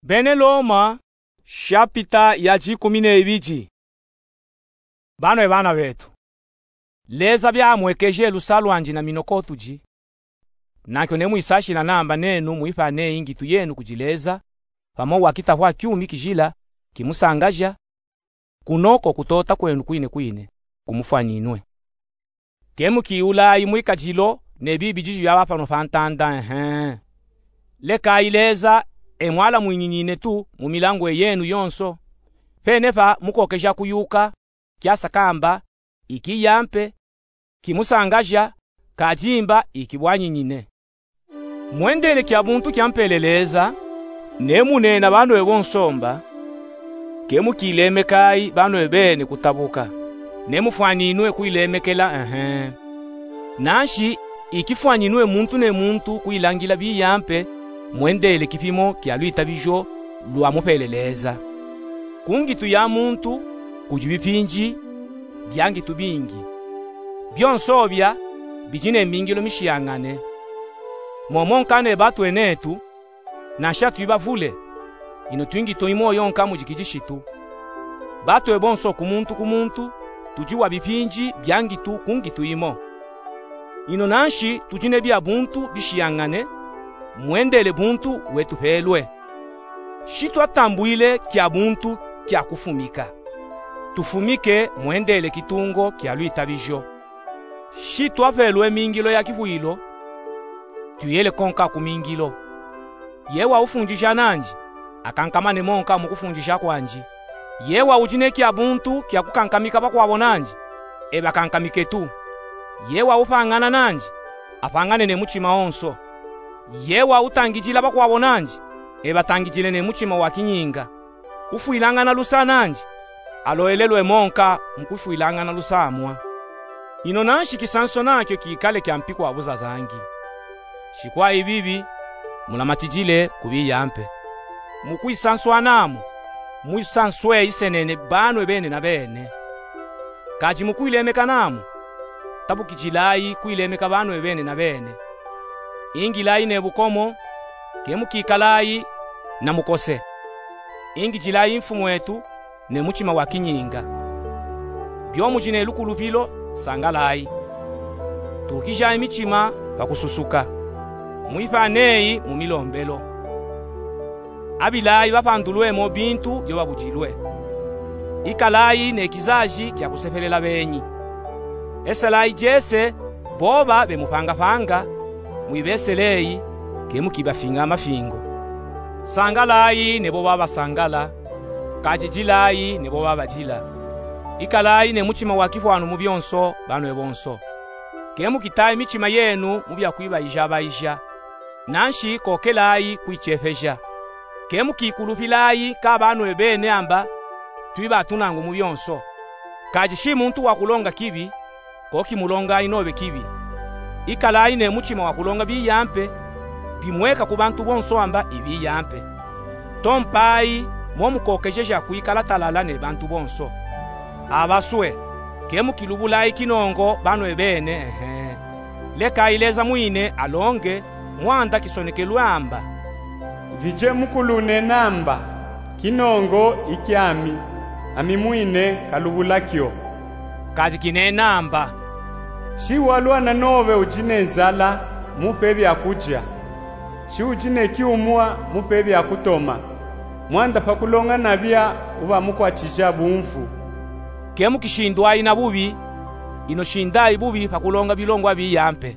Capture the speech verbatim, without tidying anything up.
Bene Loma, shapita ya dikumi na ibidi. Banwe bana betu, Leza biamwekeje lusa lwandi na mino kotudi. Nankyo nemwisashila namba nenu mwifa neyi ngitu yenu kudi Leza, pamo wakitahwa kyumi kijila kimusangaja, kuno kokutota kwenu kwine kwine kumufwaninwe. Kemukiyulayi mwikadilo ne bibi diji byaba pano pa ntanda, ehe. Lekayi Leza emwala mwinyinyinetu mu milangu eyenu yonso, pene pa mukokeja kuyuka kyasakamba, ikiyampe, kimusangaja, kadimba ikibwanyinyine. Mwendele kya buntu kyampele Leza, nemunena banwe bonso mba, kemukilemekayi banwe bene kutabuka, nemufwaninwe kwilemekela, ehe. Nanshi ikifwaninwe muntu ne muntu kwilangila biyampe, mwendele kipimo kya lwitabijo lwamupele Leza. Ku ngitu ya muntu kudi bipindi bya ngitu bingi. Byonso bya bidi ne mingilo mishiyañane. Momo nka ne batwe netu, nansha twi bavule, ino twi ngitu imo yonka mu dikidishitu. Batwe bonso ku muntu ku muntu tudi wa bipindi bya ngitu ku ngitu imo. Ino nanshi tudi ne bya buntu bishiyañane, mwendele buntu wetupelwe. Shi twatambwile kya buntu kya kufumika, tufumike mwendele kitungo kya lwitabijo. Shi twapelwe mingilo ya kifwilo, tuyele konka ku mingilo. Yewa ufundija nandi, akankamane monka mu kufundija kwandi. Yewa udi ne kya buntu kya kukankamika bakwabo nandi, ebakankamike tu. Yewa upañana nandi, apañane ne mutima onso. Yewa utangidila bakwabo nandi, ebatangidile ne mutima wa kinyinga. Ufwilañana lusa nandi, aloelelwe monka mu kufwilañana lusa amwa. Ino nanshi kisanso nakyo kikale kyampi kwa buzazangi. Shi kwa ibibi, mulamatidile ku biyampe. Mu kwisanswanamo, mwisanswe isenene banwe bene na bene. Kadi mu kwilemekanamo, tabukidilayi kwilemeka banwe bene na bene. Ingilayi ne bukomo, kemukikalayi na mukose. Ingidilayi mfumwetu ne mutima wa kinyinga. Byo mudi ne lukulupilo, sangalayi. Tukijayi mitima pa kususuka. Mwipaneyi mu milombelo. Abilayi bapandulwemo bintu byo babudilwe. Ikalayi ne kizaji kya kusepelela benyi. Eselayi jese boba bemupangapanga, mwibeseleyi, kemukibafinga amafingo. Sangalayi ne boba basangala, kajijilayi ne boba bajila. Ikalayi ne mutima wa kifwanu mu byonso, banwe bonso. Kemukitayi mitima yenu mu bya kwibayija-bayija. Nanshi kokelayi kwicepeja. Kemukikulupilayi ka banwe bene amba twiba tunangu mu byonso. Kadi shi muntu wa kulonga kibi, kokimulongayi nobe kibi. Ikalayi ne mutima wa kulonga biyampe, bimweka ku bantu bonso amba ibiyampe. Tompayi momukokejeja kwikala talala ne bantu bonso. Abaswe, kemukilubulayi kinongo banwe bene, ehe. Lekayi Leza mwine alonge, mwanda kisonekelwe amba: Vije mukulune namba, kinongo ikyami, ami mwine kalubulakyo. Kadi kinena amba: Shi walwana nobe udi ne nzala, mupe bya kuja. Shi udi ne kyumwa, mupe bya kutoma. Mwanda pa kulonga nabya uba mukwatija bumvu. Kemukishindwayi na bubi, ino shindayi bubi pa kulonga bilongo biyampe.